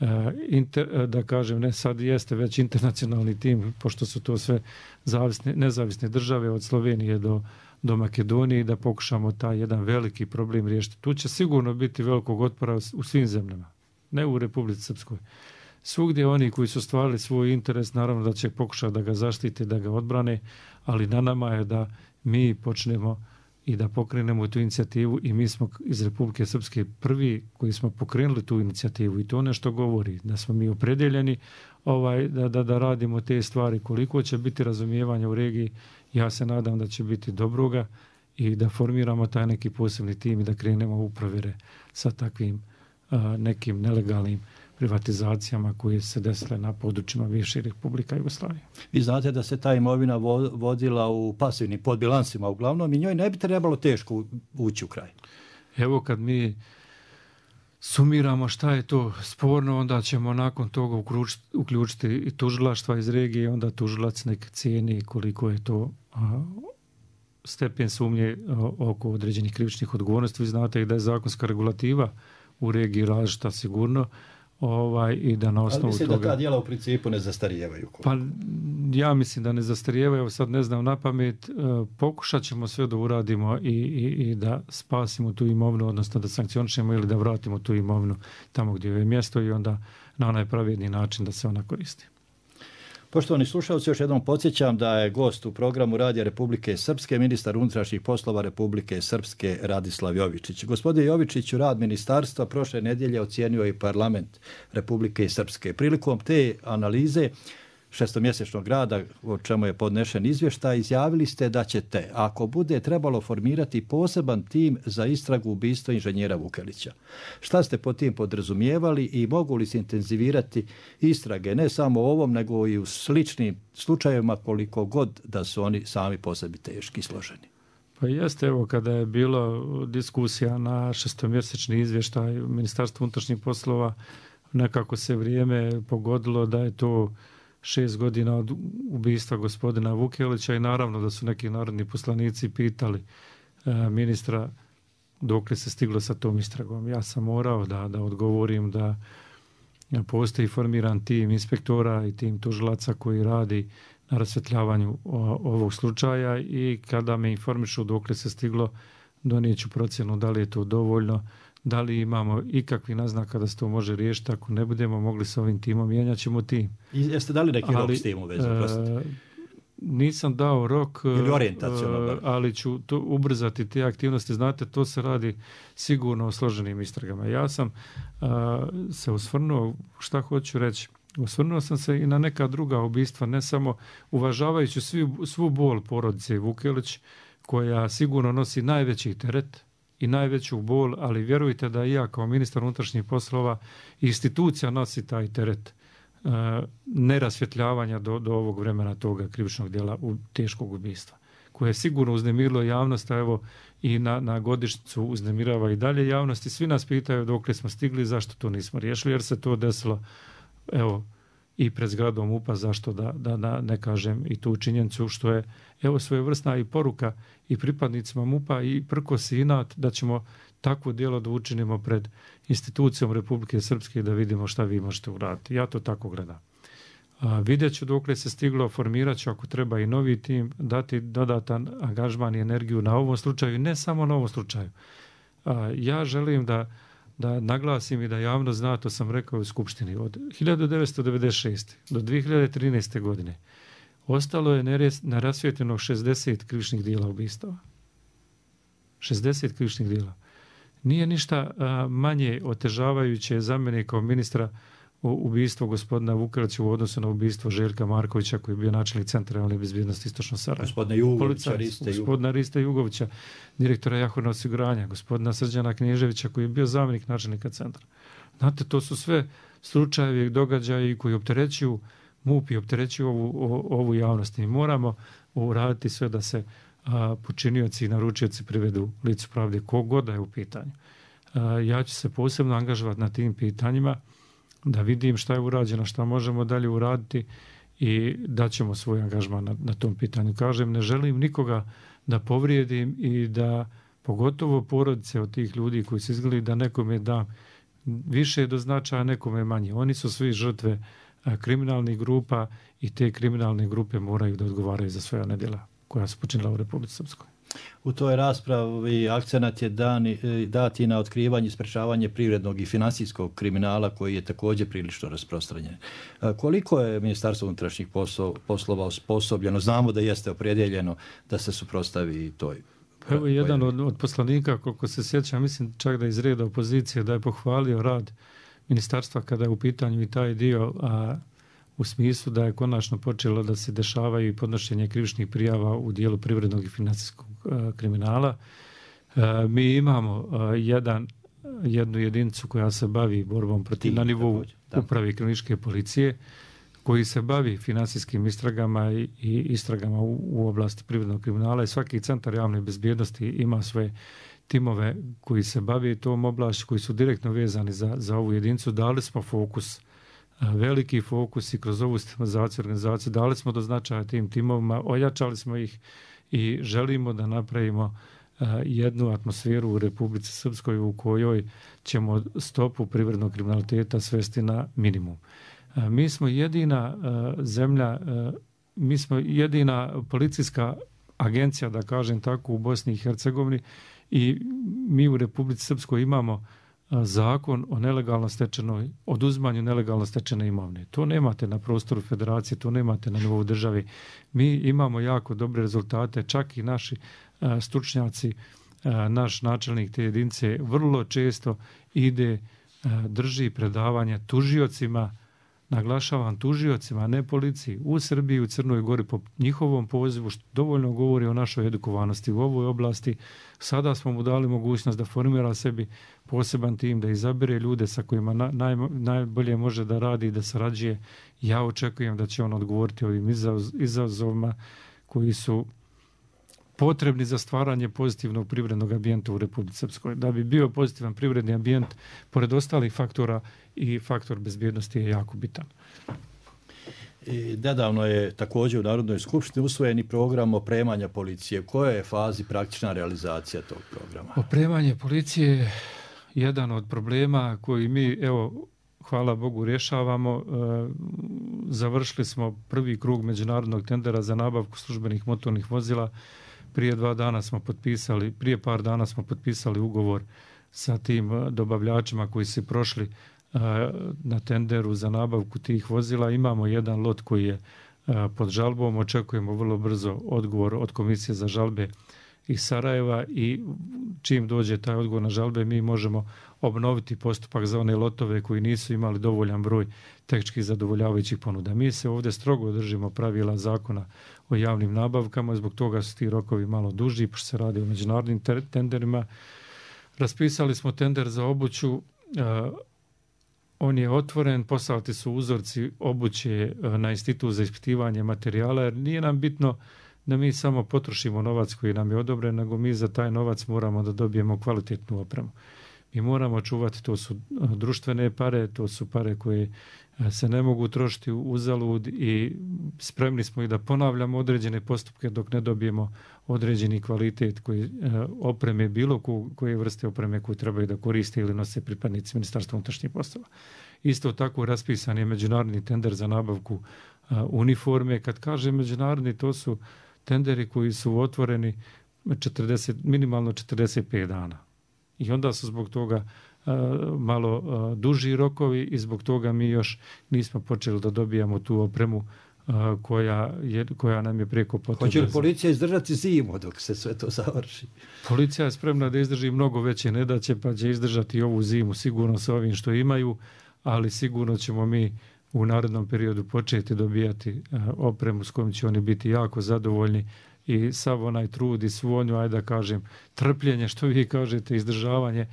uh, inter, da kažem, ne sad jeste već internacionalni tim, pošto su to sve zavisne, nezavisne države od Slovenije do, do Makedonije, da pokušamo taj jedan veliki problem riješiti. Tu će sigurno biti velikog otpora u svim zemljama, ne u Republici Srpskoj. Svugdje oni koji su stvarali svoj interes, naravno da će pokušati da ga zaštite, da ga odbrane, ali na nama je da mi počnemo i da pokrenemo tu inicijativu i mi smo iz Republike Srpske prvi koji smo pokrenuli tu inicijativu i to nešto govori, da smo mi opredeljeni ovaj, da, da, da radimo te stvari. Koliko će biti razumijevanja u regiji, ja se nadam da će biti dobroga i da formiramo taj neki posebni tim i da krenemo u provjere sa takvim a, nekim nelegalnim privatizacijama koje se desile na područjima bivše Republika Jugoslavije. Vi znate da se ta imovina vodila u pasivnim podbilansima uglavnom i njoj ne bi trebalo teško ući u kraj. Evo kad mi sumiramo šta je to sporno, onda ćemo nakon toga uključiti, uključiti i tužilaštva iz regije, onda tužilac nek cijeni koliko je to a, stepen sumnje oko određenih krivičnih odgovornosti. Vi znate i da je zakonska regulativa u regiji različita sigurno. Ovaj, i da na osnovu Ali mislim toga... da ta djela u principu ne zastarijevaju. Pa ja mislim da ne zastarijevaju, sad ne znam na pamet, e, pokušat ćemo sve da uradimo i, i, i da spasimo tu imovinu, odnosno da sankcionišemo ili da vratimo tu imovinu tamo gdje je mjesto i onda na onaj pravedni način da se ona koristi. Poštovani slušalci, još jednom podsjećam da je gost u programu Radija Republike Srpske ministar unutrašnjih poslova Republike Srpske Radislav Jovičić. Gospodin Jovičić, rad ministarstva prošle nedjelje ocijenio i parlament Republike Srpske. Prilikom te analize šestomjesečnog rada, o čemu je podnešen izvještaj, izjavili ste da ćete, ako bude trebalo, formirati poseban tim za istragu ubistva inženjera Vukelića. Šta ste po tim podrazumijevali i mogu li se intenzivirati istrage, ne samo o ovom, nego i u sličnim slučajevima, koliko god da su oni sami po sebi teški i složeni? Pa jeste, evo, kada je bilo diskusija na šestomjesečni izvještaj Ministarstva unutrašnjih poslova, nekako se vrijeme pogodilo da je to šest godina od ubistva gospodina Vukelića i naravno da su neki narodni poslanici pitali e, ministra dokle se stiglo sa tom istragom. Ja sam morao da, da odgovorim da postoji formiran tim inspektora i tim tužilaca koji radi na rasvjetljavanju ovog slučaja i kada me informišu dokle se stiglo, donijeću procjenu da li je to dovoljno, da li imamo ikakvi naznaka da se to može riješiti. Ako ne budemo mogli s ovim timom, mijenjat ćemo tim. I jeste dali neki ali, rok s tim u vezu? E, nisam dao rok, ili orijentacijalno, ali ću to ubrzati te aktivnosti. Znate, to se radi sigurno o složenim istragama. Ja sam a, se osvrnuo, šta hoću reći, osvrnuo sam se i na neka druga ubistva, ne samo uvažavajući svi, svu bol porodice Vukelić, koja sigurno nosi najveći teret i najveću bol, ali vjerujte da i ja kao ministar unutrašnjih poslova institucija nosi taj teret e, nerasvjetljavanja do, do ovog vremena toga krivičnog djela u teškog ubistva, koje je sigurno uznemirilo javnost, a evo i na, na godišnjicu uznemirava i dalje javnost i svi nas pitaju dokle smo stigli, zašto to nismo riješili, jer se to desilo evo i pred zgradom M U P-a, zašto da, da, da ne kažem i tu činjenicu što je evo svojevrsna i poruka i pripadnicima M U P-a i prkos i inat da ćemo takvo djelo da učinimo pred institucijom Republike Srpske da vidimo šta vi možete uraditi. Ja to tako gledam. A, vidjet ću dokle se stiglo, formirat ću ako treba i novi tim, dati dodatan angažman i energiju na ovom slučaju i ne samo na ovom slučaju. A, ja želim da da naglasim i da javno zna, to sam rekao u Skupštini, od hiljadu devetsto devedeset šeste. do dvije hiljade trinaeste. godine ostalo je nerasvijetljeno šezdeset krivičnih djela ubistava. šezdeset krivičnih djela. Nije ništa a, manje otežavajuće za mene kao ministra ubistvo gospodina Vukelića u odnosu na ubistvo Željka Markovića koji je bio načelnik Centra javne bezbjednosti Istočno Sarajeva. Gospodina Jugovića, Riste, gospodina Riste Jugovića, direktora Jahorna osiguranja, gospodina Srđana Knježevića koji je bio zamjenik načelnika centra. Znate, to su sve slučajevi, događaji koji opterećuju M U P i opterećuju ovu, ovu javnost. Mi moramo uraditi sve da se a, počinioci i naručioci privedu licu pravde kogod da je u pitanju. A, ja ću se posebno angažovati na tim pitanjima da vidim šta je urađeno, šta možemo dalje uraditi i daćemo svoj angažman na, na tom pitanju. Kažem, ne želim nikoga da povrijedim i da pogotovo porodice od tih ljudi koji se izgledi da nekome da više do značaja, nekome manje. Oni su svi žrtve a, kriminalnih grupa i te kriminalne grupe moraju da odgovaraju za sve one djela koja su počinila u Republici Srpskoj. U toj raspravi akcenat je dani, dati na otkrivanje i sprečavanje privrednog i finansijskog kriminala koji je također prilično rasprostranjen. Koliko je Ministarstvo unutrašnjih poslova osposobljeno? Znamo da jeste opredjeljeno da se suprotstavi toj. Evo jedan od, od poslanika, koliko se sjećam, mislim čak da iz reda opozicije, da je pohvalio rad ministarstva kada je u pitanju i taj dio, a u smislu da je konačno počelo da se dešavaju i podnošenje krivičnih prijava u dijelu privrednog i financijskog a, kriminala. A, mi imamo a, jedan, jednu jedinicu koja se bavi borbom protiv na nivou uprave i kriminalističke policije, koji se bavi finansijskim istragama i, i istragama u, u oblasti privrednog kriminala i svaki centar javne bezbjednosti ima svoje timove koji se bavi tom oblašću, koji su direktno vezani za, za ovu jedinicu. Dali smo fokus, veliki fokus i kroz ovu sistematizaciju organizaciju dali smo do značaja tim timovima, ojačali smo ih i želimo da napravimo jednu atmosferu u Republici Srpskoj u kojoj ćemo stopu privrednog kriminaliteta svesti na minimum. Mi smo jedina zemlja, mi smo jedina policijska agencija, da kažem tako, u Bosni i Hercegovini i mi u Republici Srpskoj imamo zakon o nelegalno stečenoj, oduzmanju nelegalno stečene imovine. To nemate na prostoru federacije, to nemate na nivou državi. Mi imamo jako dobre rezultate, čak i naši a, stručnjaci, a, naš načelnik te jedinice vrlo često ide, a, drži predavanja tužiocima, naglašavam tužiocima, ne policiji, u Srbiji i u Crnoj Gori po njihovom pozivu, što dovoljno govori o našoj edukovanosti u ovoj oblasti. Sada smo mu dali mogućnost da formira sebi poseban tim, da izabere ljude sa kojima na, naj, najbolje može da radi i da sarađuje. Ja očekujem da će on odgovoriti ovim izazovima koji su potrebni za stvaranje pozitivnog privrednog ambijenta u Republici Srpskoj. Da bi bio pozitivan privredni ambijent, pored ostalih faktora, i faktor bezbjednosti je jako bitan. I nedavno je također u Narodnoj skupštini usvojeni program opremanja policije. U kojoj je fazi praktična realizacija tog programa? Opremanje policije je jedan od problema koji mi, evo, hvala Bogu, rješavamo. Završili smo prvi krug međunarodnog tendera za nabavku službenih motornih vozila. Prije dva dana smo potpisali, prije par dana smo potpisali ugovor sa tim dobavljačima koji su prošli na tenderu za nabavku tih vozila. Imamo jedan lot koji je pod žalbom, očekujemo vrlo brzo odgovor od Komisije za žalbe iz Sarajeva i čim dođe taj odgovor na žalbe mi možemo obnoviti postupak za one lotove koji nisu imali dovoljan broj tehnički zadovoljavajućih ponuda. Mi se ovdje strogo držimo pravila zakona o javnim nabavkama, zbog toga su ti rokovi malo duži, pošto se radi o međunarodnim tenderima. Raspisali smo tender za obuću, on je otvoren, poslati su uzorci obuće na Institut za ispitivanje materijala, jer nije nam bitno da mi samo potrošimo novac koji nam je odobren, nego mi za taj novac moramo da dobijemo kvalitetnu opremu. Mi moramo čuvati, to su društvene pare, to su pare koje se ne mogu trošiti uzalud i spremni smo i da ponavljamo određene postupke dok ne dobijemo određeni kvalitet koji opreme, bilo koje vrste opreme koje trebaju da koriste ili nose pripadnici Ministarstva unutrašnjih poslova. Isto tako raspisan je međunarodni tender za nabavku uniforme. Kad kažem međunarodni, to su tenderi koji su otvoreni četrdeset, minimalno četrdeset pet dana. I onda su zbog toga uh, malo uh, duži rokovi i zbog toga mi još nismo počeli da dobijamo tu opremu uh, koja, je, koja nam je preko potrebna. Hoće li policija izdržati zimu dok se sve to završi? Policija je spremna da izdrži mnogo veće nedaće, pa će izdržati ovu zimu sigurno sa ovim što imaju, ali sigurno ćemo mi u narednom periodu početi dobijati uh, opremu s kojom će oni biti jako zadovoljni i sav onaj trud i svu onju, ajde da kažem, trpljenje, što vi kažete, izdržavanje,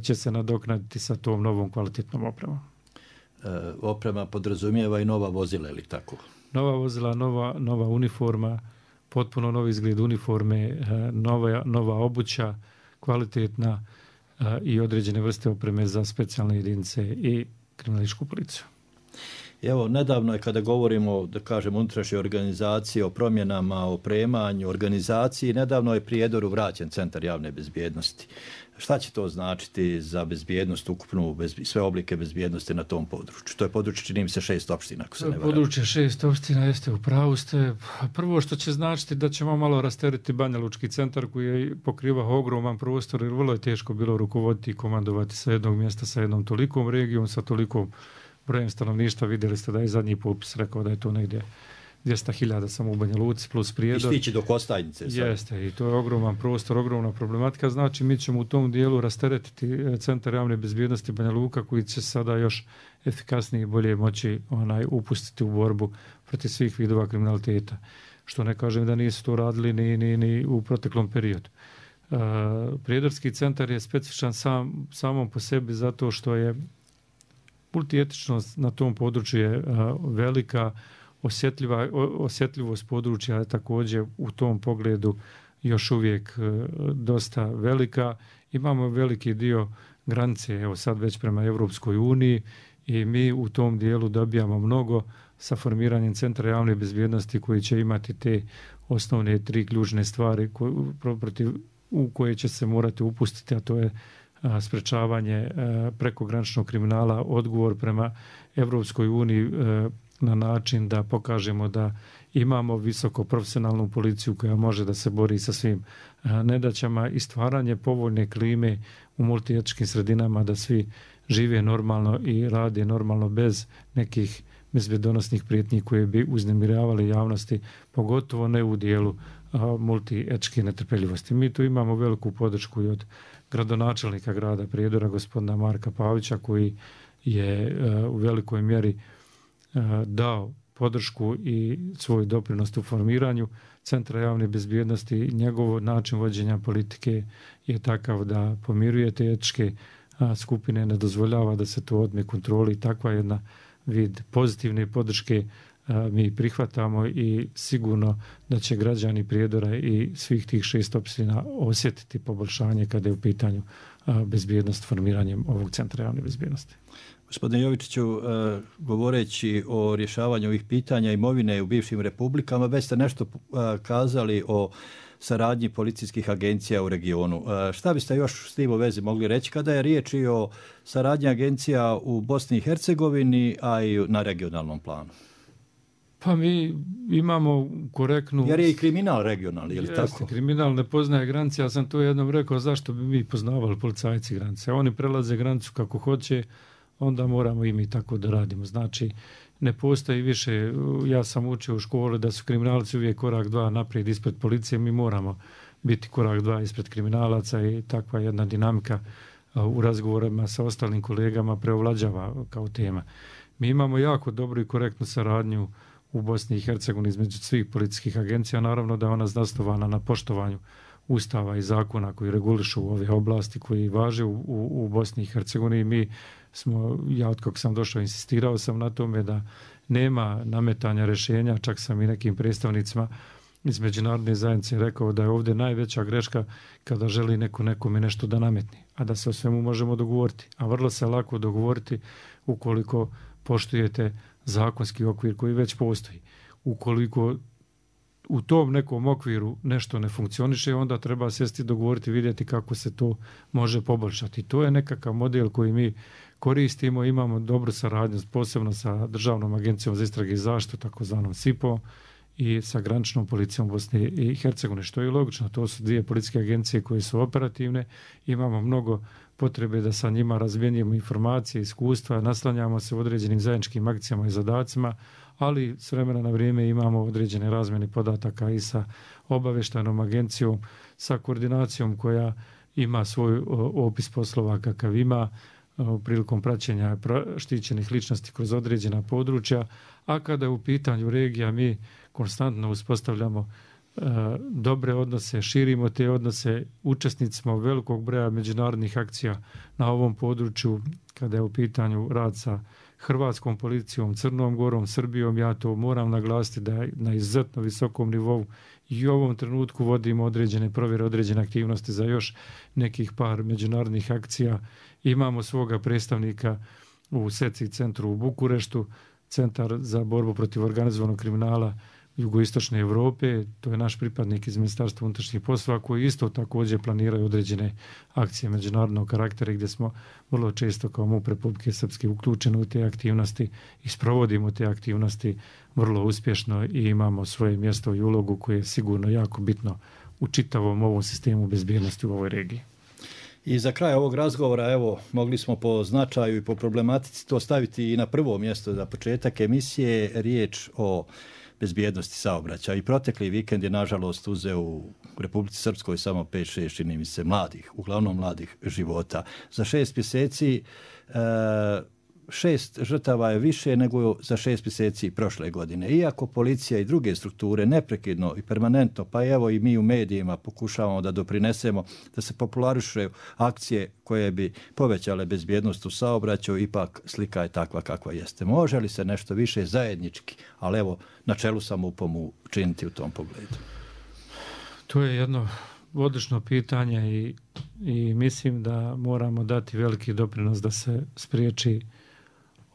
će se nadoknaditi sa tom novom kvalitetnom opremom. E, oprema podrazumijeva i nova vozila, ili tako? Nova vozila, nova, nova uniforma, potpuno novi izgled uniforme, nova, nova obuća, kvalitetna i određene vrste opreme za specijalne jedinice i kriminalističku policiju. Evo, nedavno je kada govorimo, da kažem, unutrašnje organizacije, o promjenama, o opremanju, organizaciji, nedavno je Prijedoru vraćen Centar javne bezbjednosti. Šta će to značiti za bezbjednost, ukupnu, bez, sve oblike bezbjednosti na tom području? To je područje, čini mi se, šest opština, ako se ne varam. Područje šest opština, jeste, u pravu ste. Prvo što će značiti da ćemo malo rasteriti Banja Lučki centar koji je pokrivao ogroman prostor, jer vrlo je teško bilo rukovoditi i komandovati sa jednog mjesta, sa jednom tolikom regijom, sa tolikom brojem stanovništva. Vidjeli ste da je zadnji popis rekao da je to negdje dvjesto hiljada samo u Banja Luci plus Prijedor. I stići do Kostajnice. Sad. Jeste, i to je ogroman prostor, ogromna problematika. Znači, mi ćemo u tom dijelu rasteretiti Centar javne bezbjednosti Banja Luka koji će sada još efikasnije i bolje moći onaj, upustiti u borbu protiv svih vidova kriminaliteta. Što ne kažem da nisu to radili ni, ni, ni u proteklom periodu. Uh, Prijedorski centar je specifičan sam, samom po sebi zato što je multietičnost na tom području je uh, velika, osjetljiva, osjetljivost područja je također u tom pogledu još uvijek uh, dosta velika. Imamo veliki dio granice, evo sad već prema Evropskoj uniji, i mi u tom dijelu dobijamo mnogo sa formiranjem Centra javne bezbjednosti koji će imati te osnovne tri ključne stvari protiv, u koje će se morati upustiti, a to je a, sprečavanje a, prekograničnog kriminala, odgovor prema Evropskoj uniji a, na način da pokažemo da imamo visoko profesionalnu policiju koja može da se bori sa svim a, nedaćama i stvaranje povoljne klime u multietničkim sredinama da svi žive normalno i rade normalno bez nekih bezbjedonosnih prijetnji koje bi uznemiravali javnosti, pogotovo ne u dijelu multietničke netrpeljivosti. Mi tu imamo veliku podršku i od gradonačelnika grada Prijedora, gospodina Marka Pavića, koji je a, u velikoj mjeri a, dao podršku i svoj doprinos u formiranju Centra javne bezbjednosti. Njegov način vođenja politike je takav da pomiruje te etničke skupine, ne dozvoljava da se to odme kontroli. Takva jedna vid pozitivne podrške a, mi prihvatamo i sigurno da će građani Prijedora i svih tih šest opština osjetiti poboljšanje kada je u pitanju a, bezbjednost formiranjem ovog Centra javne bezbjednosti. Gospodine Jovičiću, govoreći o rješavanju ovih pitanja imovine u bivšim republikama, već ste nešto kazali o saradnji policijskih agencija u regionu. Šta biste još s tim u vezi mogli reći kada je riječ i o saradnji agencija u Bosni i Hercegovini, a i na regionalnom planu? Pa mi imamo korektnu... Jer je i kriminal regionalni, je li Jeste, tako? Kriminal ne poznaje granice, ja sam to jednom rekao, zašto bi mi poznavali policajci granice. Oni prelaze granicu kako hoće, onda moramo i mi tako da radimo. Znači, ne postoji više, ja sam učio u školi da su kriminalci uvijek korak dva naprijed ispred policije, mi moramo biti korak dva ispred kriminalaca i takva jedna dinamika u razgovorima sa ostalim kolegama preovlađava kao tema. Mi imamo jako dobru i korektnu saradnju u Bosni i Hercegovini između svih policijskih agencija, naravno da je ona zasnovana na poštovanju ustava i zakona koji regulišu ove oblasti koji važe u, u, u Bosni i Hercegovini. Mi smo, ja od kako sam došao, insistirao sam na tome da nema nametanja rješenja, čak sam i nekim predstavnicima iz međunarodne zajednice rekao da je ovdje najveća greška kada želi neko nekome nešto da nametni, a da se o svemu možemo dogovoriti. A vrlo se lako dogovoriti ukoliko poštujete zakonski okvir koji već postoji. Ukoliko u tom nekom okviru nešto ne funkcioniše, onda treba sjesti, dogovoriti, vidjeti kako se to može poboljšati. To je nekakav model koji mi koristimo, imamo dobru saradnju, posebno sa Državnom agencijom za istrage i zaštitu, takozvanom S I P O, i sa graničnom policijom Bosne i Hercegovine, što je logično. To su dvije policijske agencije koje su operativne, imamo mnogo potrebe da sa njima razmjenjujemo informacije, iskustva, naslanjamo se u određenim zajedničkim akcijama i zadacima, ali s vremena na vrijeme imamo određene razmjene podataka i sa obavještajnom agencijom, sa koordinacijom koja ima svoj opis poslova kakav ima prilikom praćenja štićenih ličnosti kroz određena područja, a kada je u pitanju regija mi konstantno uspostavljamo e, dobre odnose, širimo te odnose, učesnici smo velikog broja međunarodnih akcija na ovom području kada je u pitanju rad sa Hrvatskom policijom, Crnom Gorom, Srbijom. Ja to moram naglasiti da je na izuzetno visokom nivou i u ovom trenutku vodimo određene provjere, određene aktivnosti za još nekih par međunarodnih akcija. Imamo svoga predstavnika u S E C I centru u Bukureštu, Centar za borbu protiv organizovanog kriminala jugoistočne Evrope. To je naš pripadnik iz Ministarstva unutrašnjih poslova koji isto također planiraju određene akcije međunarodnog karaktera gdje smo vrlo često kao MUP Republike Srpske uključeni u te aktivnosti i sprovodimo te aktivnosti vrlo uspješno i imamo svoje mjesto i ulogu koje je sigurno jako bitno u čitavom ovom sistemu bezbjednosti u ovoj regiji. I za kraj ovog razgovora, evo, mogli smo po značaju i po problematici to staviti i na prvo mjesto za početak emisije, riječ o bezbjednosti saobraćaja. I protekli vikend je, nažalost, uzeo u Republici Srpskoj samo pet šest, čini mi se, mladih, uglavnom mladih života. Za šest mjeseci e, šest žrtava je više nego za šest mjeseci prošle godine. Iako policija i druge strukture neprekidno i permanentno, pa evo i mi u medijima pokušavamo da doprinesemo da se popularišu akcije koje bi povećale bezbjednost u saobraćaju, ipak slika je takva kakva jeste. Može li se nešto više zajednički, ali evo na čelu sam upomu činiti u tom pogledu? To je jedno odlično pitanje i, i mislim da moramo dati veliki doprinos da se spriječi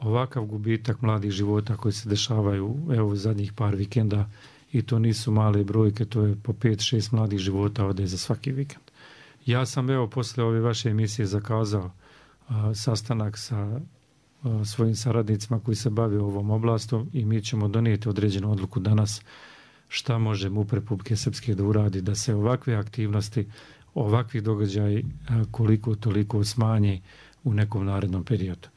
ovakav gubitak mladih života koji se dešavaju evo zadnjih par vikenda, i to nisu male brojke, to je po pet šest mladih života ode za svaki vikend. Ja sam evo posle ove vaše emisije zakazao a, sastanak sa a, svojim saradnicima koji se bave ovom oblastom i mi ćemo donijeti određenu odluku danas šta može MUP Republike Srpske da uradi da se ovakve aktivnosti, ovakvi događaji a, koliko toliko smanji u nekom narednom periodu.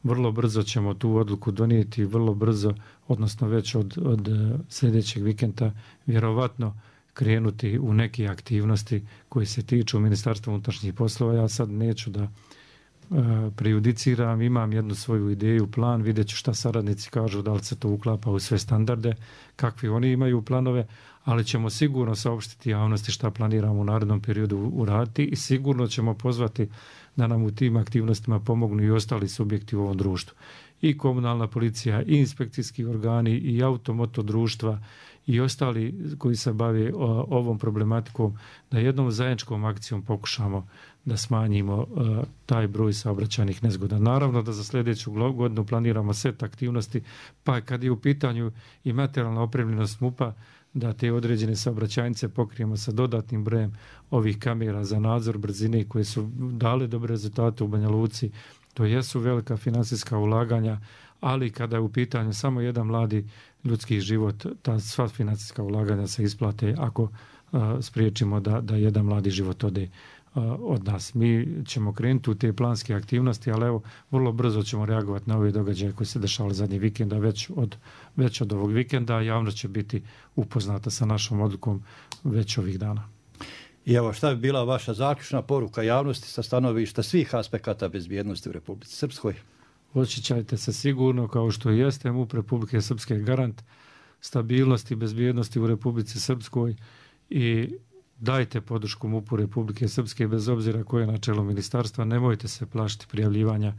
Vrlo brzo ćemo tu odluku donijeti, vrlo brzo, odnosno već od, od sljedećeg vikenda, vjerovatno krenuti u neke aktivnosti koje se tiču Ministarstva unutrašnjih poslova. Ja sad neću da uh, prejudiciram, imam jednu svoju ideju, plan, vidjet ću šta saradnici kažu, da li se to uklapa u sve standarde, kakvi oni imaju planove, ali ćemo sigurno saopštiti javnosti šta planiramo u narednom periodu uraditi i sigurno ćemo pozvati da nam u tim aktivnostima pomognu i ostali subjekti u ovom društvu. I komunalna policija, i inspekcijski organi, i automoto društva, i ostali koji se bave ovom problematikom, da jednom zajedničkom akcijom pokušamo da smanjimo uh, taj broj saobraćajnih nezgoda. Naravno da za sljedeću godinu planiramo set aktivnosti, pa kad je u pitanju i materijalna opremljenost MUP-a, da te određene saobraćajnice pokrijemo sa dodatnim brojem ovih kamera za nadzor brzine koje su dale dobre rezultate u Banja Luci. To jesu velika finansijska ulaganja, ali kada je u pitanju samo jedan mladi ljudski život, ta sva financijska ulaganja se isplate ako uh, spriječimo da, da jedan mladi život ode uh, od nas. Mi ćemo krenuti u te planske aktivnosti, ali evo, vrlo brzo ćemo reagovati na ove događaje koji se dešavali zadnji vikenda, već od, već od ovog vikenda. Javnost će biti upoznata sa našom odlukom već ovih dana. I evo, šta bi bila vaša zaključna poruka javnosti sa stanovišta svih aspekata bezbjednosti u Republici Srpskoj? Osjećajte se sigurno, kao što jeste MUP Republike Srpske garant stabilnosti i bezbjednosti u Republici Srpskoj i dajte podršku MUP-u Republike Srpske bez obzira koje je na čelu ministarstva. Nemojte se plašiti prijavljivanja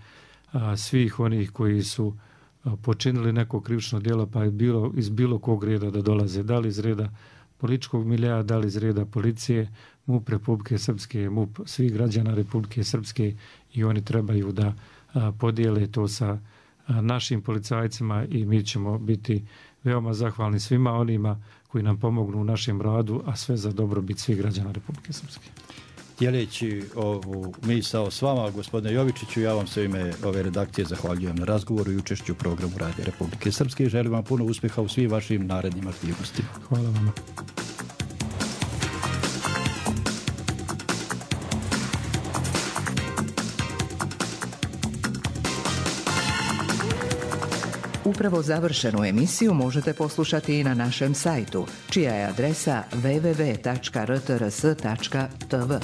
a, svih onih koji su a, počinili neko krivično djelo, pa je bilo iz bilo kog reda da dolaze, da li iz reda političkog milija, da li iz reda policije. MUP Republike Srpske, MUP svih građana Republike Srpske i oni trebaju da a, podijele to sa a, našim policajcima i mi ćemo biti veoma zahvalni svima onima koji nam pomognu u našem radu, a sve za dobrobit svih građana Republike Srpske. Dijeleći ovu misao s vama, gospodine Jovičiću, ja vam se u ime ove redakcije zahvaljujem na razgovoru i učešću u programu Radija Republike Srpske i želim vam puno uspjeha u svim vašim narednim aktivnostima. Hvala vam. Upravo završenu emisiju možete poslušati i na našem sajtu, čija je adresa w w w tačka r t r s tačka t v.